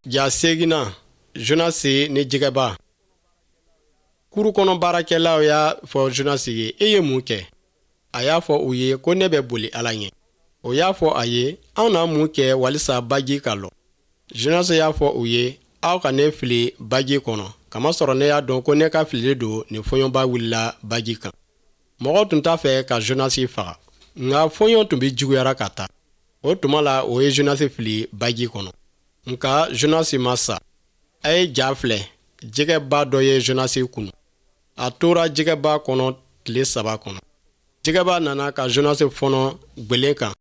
Ja seginna Jonasi ni jɛgɛba. Kuru kɔnɔ baarakɛlaw y'a fɔ Jonasi ye, e ye mun kɛ? A y'a fɔ u ye ko ne bɛ boli Ala ɲɛ. O y'a fɔ a ye, anw na mun kɛ walisa baji ka lɔ? Jonasi y'a fɔ u ye, aw ka ne fili baji kɔnɔ, kamasɔrɔ ne y'a dɔn ko ne ka filili don nin fɔɲɔba wulila baji kan. Mɔgɔw tun t'a fɛ ka Jonasi faga, nka fɔɲɔ tun bɛ juguyara ka taa. O tuma la o ye Jonasi fili baji kɔnɔ. Nka Jonasi ma sa. A ye ja filɛ, jɛgɛba dɔ ye Jonasi kunu. A tora jɛgɛba kɔnɔ tile saba kɔnɔ. Jɛgɛba nana ka Jonasi fɔnɔ gwelen kan.